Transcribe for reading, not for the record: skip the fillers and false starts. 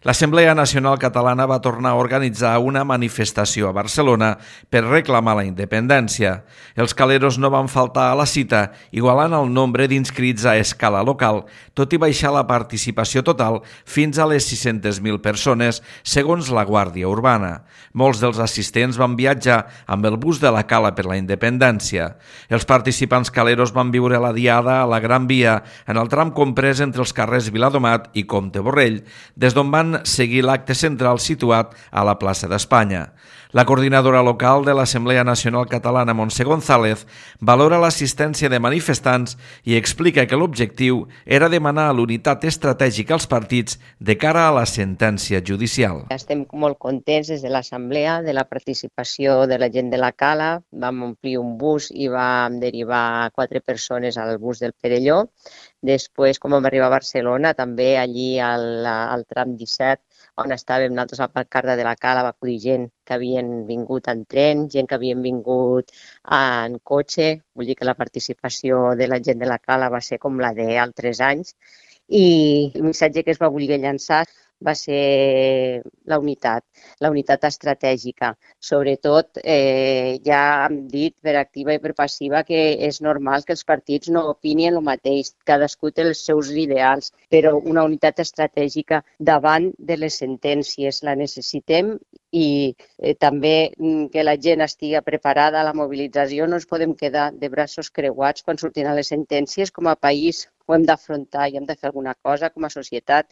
L'Assemblea Nacional Catalana va tornar a organitzar una manifestació a Barcelona per reclamar la independència. Els caleros no van faltar a la cita, igualant el nombre d'inscrits a escala local, tot i baixar la participació total fins a les 600.000 persones, segons la Guàrdia Urbana. Molts dels assistents van viatjar amb el bus de la Cala per la Independència. Els participants caleros van viure la diada a la Gran Via, en el tram comprès entre els carrers Viladomat i Comte Borrell, des d'on van seguir l'acte central situat a la plaça d'Espanya. La coordinadora local de l'Assemblea Nacional Catalana, Montse González, valora l'assistència de manifestants i explica que l'objectiu era demanar l'unitat estratègica als partits de cara a la sentència judicial. Estem molt contents des de l'Assemblea de la participació de la gent de la Cala. Vam omplir un bus i vam derivar 4 persones al bus del Perelló. Després, com vam arribar a Barcelona, també allí al tram 17, on estàvem nosaltres a la Carda de la Cala, va acudir gent que havien vingut en tren, gent que havien vingut en cotxe. Vull dir que la participació de la gent de la Cala va ser com la d'altres anys. I el missatge que es va voler llançar va ser la unitat estratègica. Sobretot, ja hem dit per activa i per passiva que és normal que els partits no opinin el mateix, cadascú té els seus ideals, però una unitat estratègica davant de les sentències la necessitem i també que la gent estigui preparada a la mobilització. No ens podem quedar de braços creuats quan surtin a les sentències. Com a país ho hem d'afrontar i hem de fer alguna cosa com a societat.